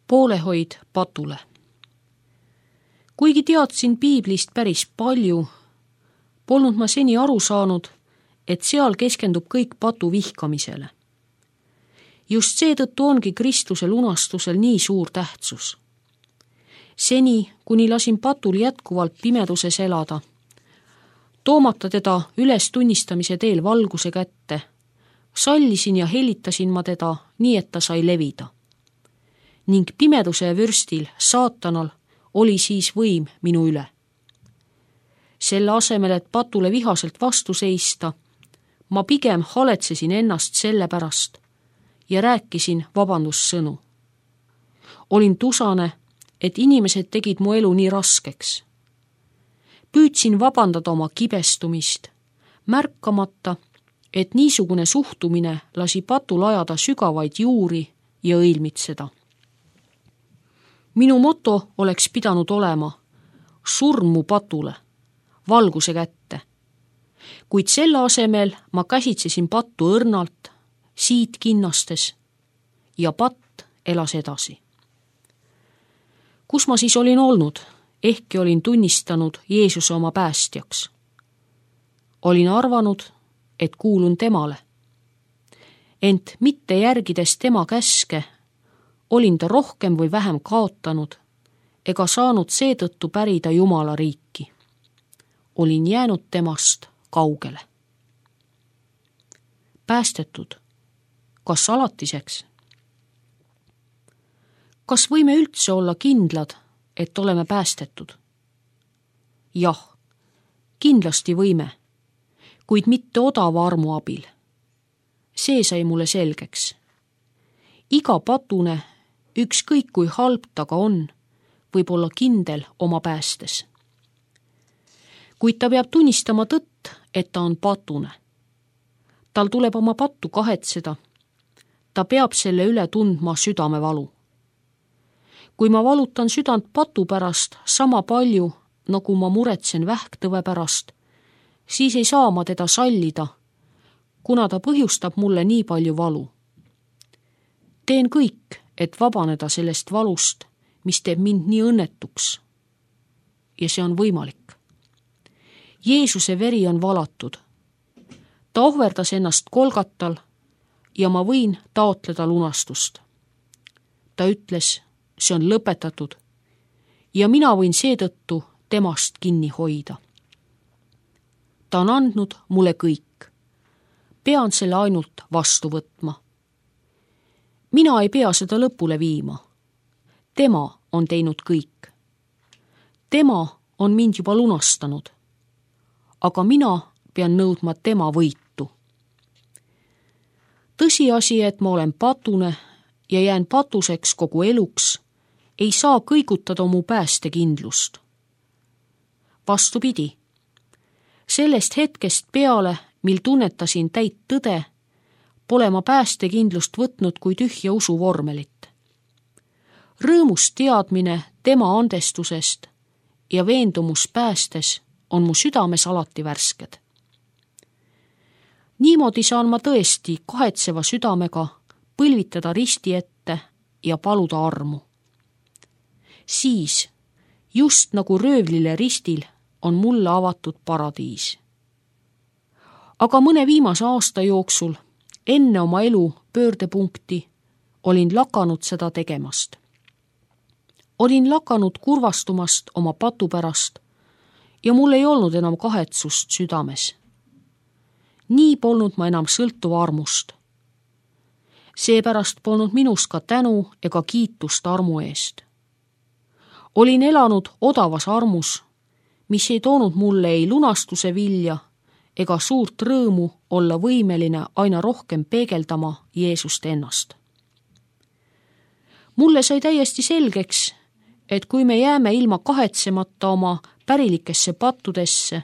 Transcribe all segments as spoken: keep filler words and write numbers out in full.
Poolehoid patule. Kuigi teadsin piiblist päris palju, polnud ma seni aru saanud, et seal keskendub kõik patu vihkamisele. Just seetõttu ongi Kristuse lunastusel nii suur tähtsus. Seni, kuni lasin patul jätkuvalt pimeduses elada, toomata teda üles tunnistamise teel valguse kätte, sallisin ja helitasin ma teda nii, et ta sai levida. Ning pimeduse vürstil, saatanal, oli siis võim minu üle. Selle asemel, et patule vihaselt vastu seista, ma pigem haletsesin ennast selle pärast ja rääkisin vabandussõnu. Olin tusane, et inimesed tegid mu elu nii raskeks. Püüdsin vabandada oma kibestumist, märkamata, et niisugune suhtumine lasi patul ajada sügavaid juuri ja õilmitseda. Minu moto oleks pidanud olema surm mu patule, valguse kätte. Kuid selle asemel ma käsitsesin pattu õrnalt, siit kinnastes ja patt elas edasi. Kus ma siis olin olnud, ehkki olin tunnistanud Jeesuse oma päästjaks? Olin arvanud, et kuulun temale. Ent mitte järgides tema käske, olin ta rohkem või vähem kaotanud ega saanud seetõttu pärida Jumala riiki. Olin jäänud temast kaugele. Päästetud, kas alatiseks? Kas võime üldse olla kindlad, et oleme päästetud? Jah, kindlasti võime, kuid mitte odava armu abil. See sai mulle selgeks. Iga patune, ükskõik kui halb ta ka on, võib olla kindel oma päästes. Kuid ta peab tunnistama tõtt, et ta on patune. Tal tuleb oma pattu kahetseda. Ta peab selle üle tundma südamevalu. Kui ma valutan südant patu pärast sama palju, nagu ma muretsen vähktõve pärast, siis ei saa ma teda sallida, kuna ta põhjustab mulle nii palju valu. Teen kõik, et vabaneda sellest valust, mis teeb mind nii õnnetuks. Ja see on võimalik. Jeesuse veri on valatud. Ta ohverdas ennast Golgatal ja ma võin taotleda lunastust. Ta ütles, see on lõpetatud ja mina võin seetõttu temast kinni hoida. Ta on andnud mulle kõik. Pean selle ainult vastu võtma. Mina ei pea seda lõpule viima. Tema on teinud kõik. Tema on mind juba lunastanud. Aga mina pean nõudma tema võitu. Tõsiasi, et ma olen patune ja jään patuseks kogu eluks, ei saa kõigutada mu päästekindlust. Vastupidi, sellest hetkest peale, mil tunnetasin täit tõde, pole ma päästekindlust võtnud kui tühja usuvormelit. Rõõmus teadmine tema andestusest ja veendumus päästes on mu südames alati värsked. Niimoodi saan ma tõesti kahetseva südamega põlvitada risti ette ja paluda armu. Siis, just nagu röövlile ristil, on mulle avatud paradiis. Aga mõne viimase aasta jooksul, enne oma elu pöördepunkti, olin lakanud seda tegemast. Olin lakanud kurvastumast oma patu pärast ja mul ei olnud enam kahetsust südames. Nii polnud ma enam sõltuva armust. Seepärast polnud minus ka tänu ega kiitust armu eest. Olin elanud odavas armus, mis ei toonud mulle ei lunastuse vilja ega suurt rõõmu olla võimeline aina rohkem peegeldama Jeesust ennast. Mulle sai täiesti selgeks, et kui me jääme ilma kahetsemata oma pärilikesse pattudesse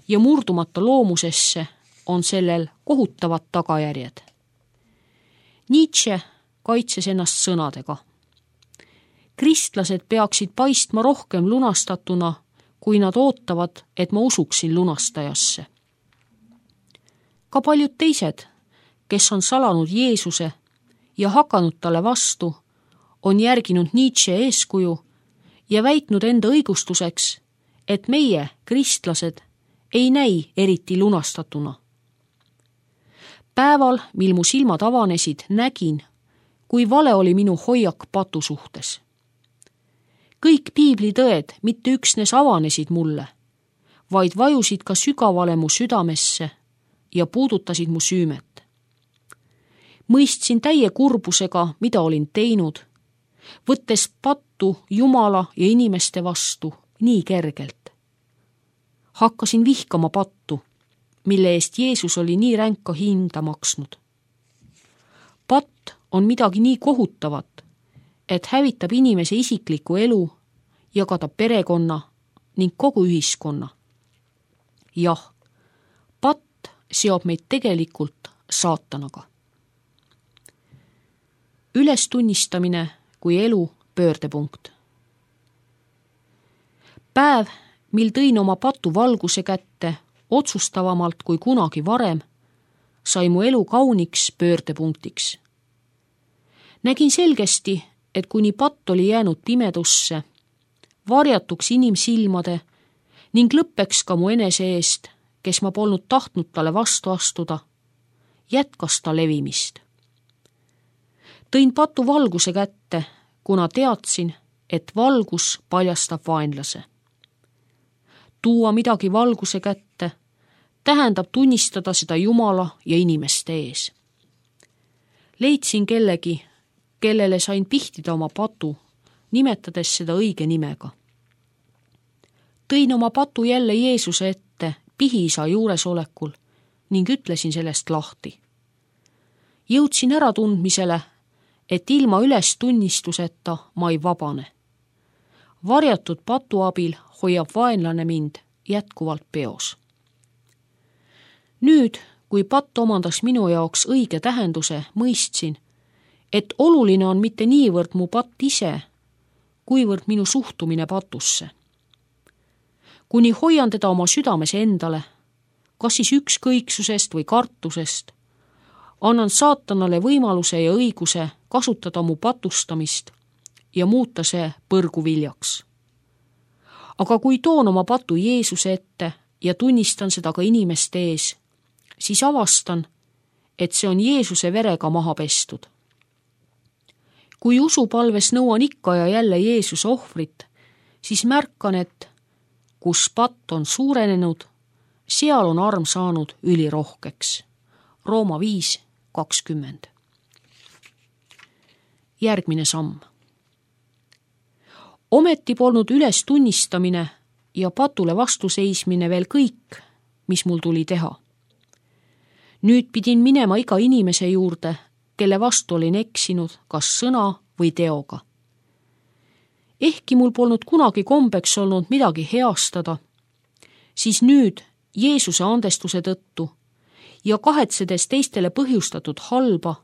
ja murdumata loomusesse, on sellel kohutavad tagajärjed. Nietzsche kaitses ennast sõnadega. Kristlased peaksid paistma rohkem lunastatuna, kui nad ootavad, et ma usuksin lunastajasse. Ka paljud teised, kes on salanud Jeesuse ja hakanud talle vastu, on järginud Nietzsche eeskuju ja väitnud enda õigustuseks, et meie, kristlased, ei näi eriti lunastatuna. Päeval, mil mu silmad avanesid, nägin, kui vale oli minu hoiak patu suhtes. Kõik piiblitõed mitte üksnes avanesid mulle, vaid vajusid ka sügavale mu südamesse ja puudutasid mu süümet. Mõistsin täie kurbusega, mida olin teinud, võttes pattu Jumala ja inimeste vastu nii kergelt. Hakkasin vihkama pattu, mille eest Jeesus oli nii ränka hinda maksnud. Patt on midagi nii kohutavat, et hävitab inimese isikliku elu ja ka ta perekonna ning kogu ühiskonna. Jah, patt seob meid tegelikult saatanaga. Ülestunnistamine kui elu pöördepunkt. Päev, mil tõin oma patu valguse kätte otsustavamalt kui kunagi varem, sai mu elu kauniks pöördepunktiks. Nägin selgesti, et kuni patt oli jäänud pimedusse, varjatuks inimsilmade ning lõppeks ka mu enese eest, kes ma polnud tahtnud talle vastu astuda, jätkas ta levimist. Tõin patu valguse kätte, kuna teadsin, et valgus paljastab vaenlase. Tuua midagi valguse kätte tähendab tunnistada seda Jumala ja inimeste ees. Leidsin kellegi, kellele sain pihtida oma patu, nimetades seda õige nimega. Tõin oma patu jälle Jeesuse ette pihiisa juuresolekul ning ütlesin sellest lahti. Jõudsin äratundmisele, et ilma ülestunnistuseta ma ei vabane. Varjatud patu abil hoiab vaenlane mind jätkuvalt peos. Nüüd, kui patt omandas minu jaoks õige tähenduse, mõistsin, et oluline on mitte niivõrd mu patt ise, kuivõrd minu suhtumine patusse. Kuni hoian teda oma südames endale, kas siis ükskõiksusest või kartusest, annan saatanale võimaluse ja õiguse kasutada mu patustamist ja muuta see põrguviljaks. Aga kui toon oma patu Jeesuse ette ja tunnistan seda ka inimeste ees, siis avastan, et see on Jeesuse verega maha pestud. Kui usupalves nõuan ikka ja jälle Jeesuse ohvrit, siis märkan, et kus patt on suurenenud, seal on arm saanud ülirohkeks. Rooma viis kakskümmend. Järgmine samm. Ometi polnud üles tunnistamine ja patule vastuseismine veel kõik, mis mul tuli teha. Nüüd pidin minema iga inimese juurde, kelle vastu olin eksinud kas sõna või teoga. Ehkki mul polnud kunagi kombeks olnud midagi heastada, siis nüüd Jeesuse andestuse tõttu ja kahetsedes teistele põhjustatud halba,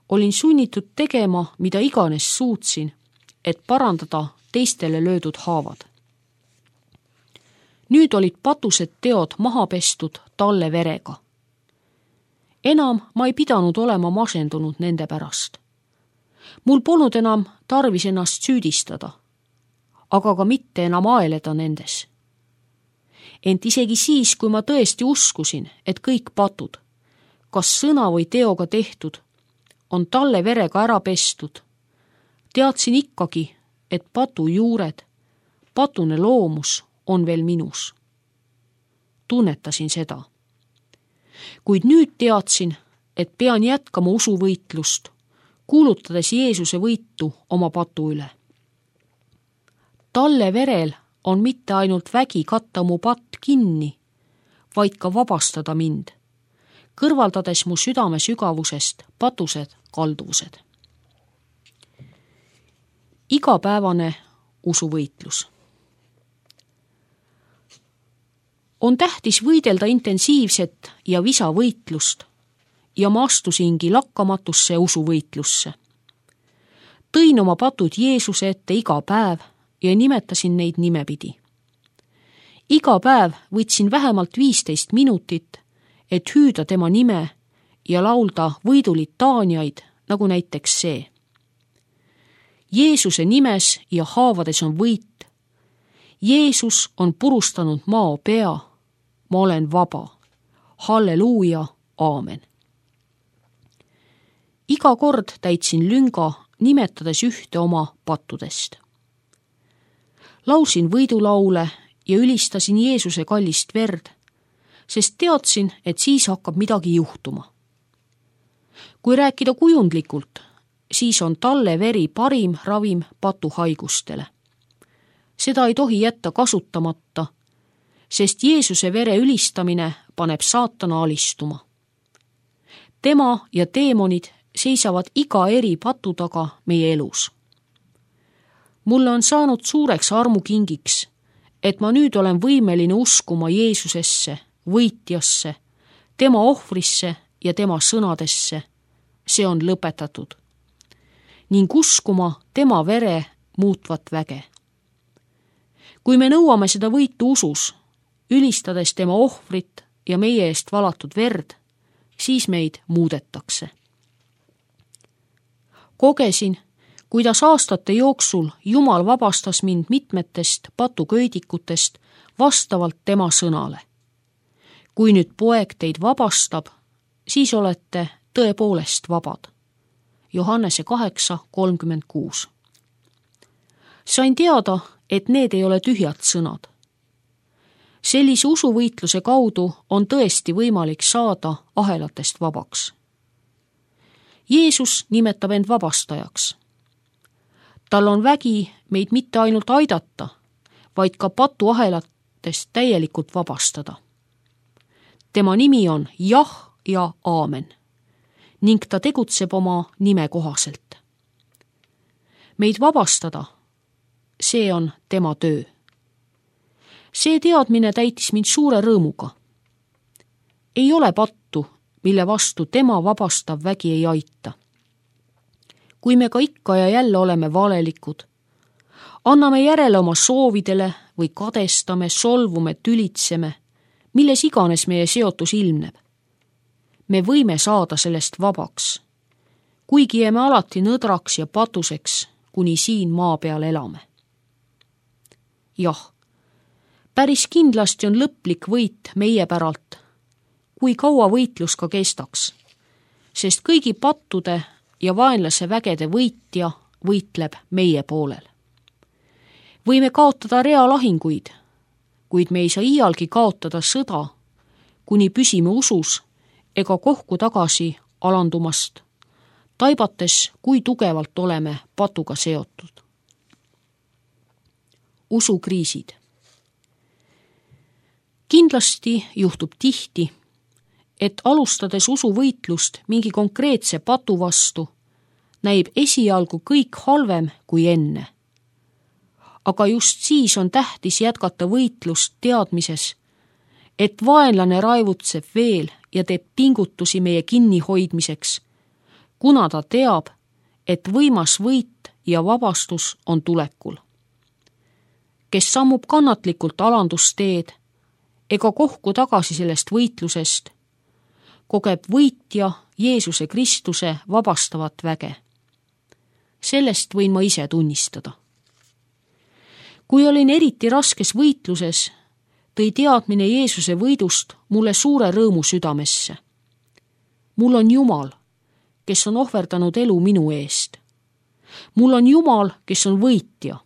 olin sunnitud tegema, mida iganes suutsin, et parandada teistele löödud haavad. Nüüd olid patused teod maha pestud talle verega. Enam ma ei pidanud olema masendunud nende pärast. Mul polnud enam tarvis ennast süüdistada, aga ka mitte enam aeleda nendes. Ent isegi siis, kui ma tõesti uskusin, et kõik patud, kas sõna või teoga tehtud, on talle verega ära pestud, teadsin ikkagi, et patu juured, patune loomus on veel minus. Tunnetasin seda. Kuid nüüd teadsin, et pean jätkama usuvõitlust, kuulutades Jeesuse võitu oma patu üle. Talle verel on mitte ainult vägi katta mu patt kinni, vaid ka vabastada mind, kõrvaldades mu südame sügavusest patused kalduvused. Igapäevane usuvõitlus. On tähtis võidelda intensiivset ja visa võitlust ja ma astusingi lakkamatusse usuvõitlusse. Tõin oma patud Jeesuse ette iga päev ja nimetasin neid nimepidi. Iga päev võtsin vähemalt viisteist minutit, et hüüda tema nime ja laulda võidulitaaniaid, nagu näiteks see. Jeesuse nimes ja haavades on võit. Jeesus on purustanud mao pea. Ma olen vaba. Halleluuja, aamen. Iga kord täitsin lünga, nimetades ühte oma pattudest. Lausin võidulaule ja ülistasin Jeesuse kallist verd, sest teadsin, et siis hakkab midagi juhtuma. Kui rääkida kujundlikult, siis on talle veri parim ravim patuhaigustele. Seda ei tohi jätta kasutamata, sest Jeesuse vere ülistamine paneb saatana alistuma. Tema ja teemonid seisavad iga eri patu taga meie elus. Mulle on saanud suureks armukingiks, et ma nüüd olen võimeline uskuma Jeesusesse, võitjasse, tema ohvrisse ja tema sõnadesse. See on lõpetatud. Ning uskuma tema vere muutvat väge. Kui me nõuame seda võitu usus, ülistades tema ohvrit ja meie eest valatud verd, siis meid muudetakse. Kogesin, kuidas aastate jooksul Jumal vabastas mind mitmetest patuköidikutest vastavalt tema sõnale. Kui nüüd poeg teid vabastab, siis olete tõepoolest vabad. Johannese kaheksa kolmkümmend kuus. Sain teada, et need ei ole tühjad sõnad. Sellise usuvõitluse kaudu on tõesti võimalik saada ahelatest vabaks. Jeesus nimetab end vabastajaks. Tal on vägi meid mitte ainult aidata, vaid ka patuahelatest täielikult vabastada. Tema nimi on jah ja aamen ning ta tegutseb oma nime kohaselt. Meid vabastada, see on tema töö. See teadmine täitis mind suure rõõmuga. Ei ole pattu, mille vastu tema vabastav vägi ei aita. Kui me ka ikka ja jälle oleme valelikud, anname järele oma soovidele või kadestame, solvume, tülitseme, milles iganes meie seotus ilmneb. Me võime saada sellest vabaks, kuigi jääme alati nõdraks ja patuseks, kuni siin maa peal elame. Jah, päris kindlasti on lõplik võit meie päralt, kui kaua võitlus ka kestaks, sest kõigi pattude ja vaenlase vägede võitja võitleb meie poolel. Võime kaotada realahinguid, kuid me ei saa iialgi kaotada sõda, kuni püsime usus ega kohku tagasi alandumast, taibates, kui tugevalt oleme patuga seotud. Usukriisid. Kindlasti juhtub tihti, et alustades usuvõitlust mingi konkreetse patu vastu, näib esialgu kõik halvem kui enne. Aga just siis on tähtis jätkata võitlust teadmises, et vaenlane raevutseb veel ja teeb pingutusi meie kinnihoidmiseks, kuna ta teab, et võimas võit ja vabastus on tulekul. Kes sammub kannatlikult alandusteed ega kohku tagasi sellest võitlusest, kogeb võitja Jeesuse Kristuse vabastavat väge. Sellest võin ma ise tunnistada. Kui olin eriti raskes võitluses, tõi teadmine Jeesuse võidust mulle suure rõõmu südamesse. Mul on Jumal, kes on ohverdanud elu minu eest. Mul on Jumal, kes on võitja.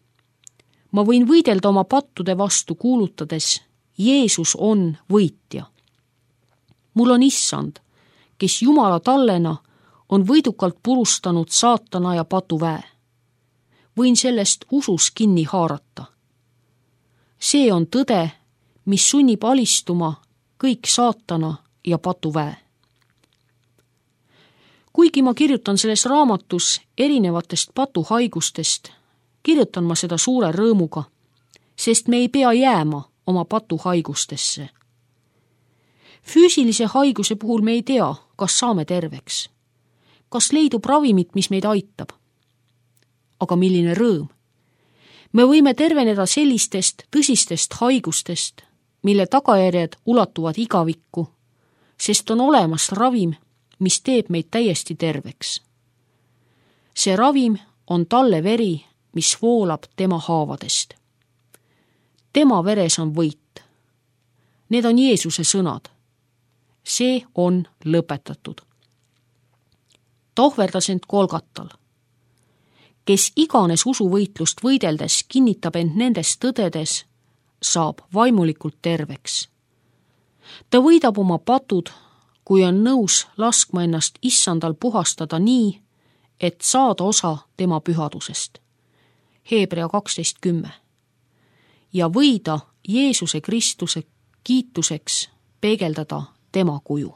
Ma võin võidelda oma pattude vastu kuulutades, Jeesus on võitja. Mul on Issand, kes Jumala tallena on võidukalt purustanud saatana ja patuväe. Võin sellest usus kinni haarata. See on tõde, mis sunnib alistuma kõik saatana ja patuväe. Kuigi ma kirjutan selles raamatus erinevatest patuhaigustest, kirjutan ma seda suure rõõmuga, sest me ei pea jääma oma patuhaigustesse. Füüsilise haiguse puhul me ei tea, kas saame terveks, kas leidub ravimit, mis meid aitab. Aga milline rõõm! Me võime terveneda sellistest tõsistest haigustest, mille tagajärjed ulatuvad igavikku, sest on olemas ravim, mis teeb meid täiesti terveks. See ravim on talle veri, mis voolab tema haavadest. Tema veres on võit. Need on Jeesuse sõnad. See on lõpetatud. Tohverdas end Golgatal. Kes iganes usuvõitlust võideldes kinnitab end nendes tõdedes, saab vaimulikult terveks. Ta võidab oma patud, kui on nõus laskma ennast issandal puhastada nii, et saada osa tema pühadusest. Hebrea kaksteist kümme. Ja võida Jeesuse Kristuse kiituseks peegeldada tema kuju.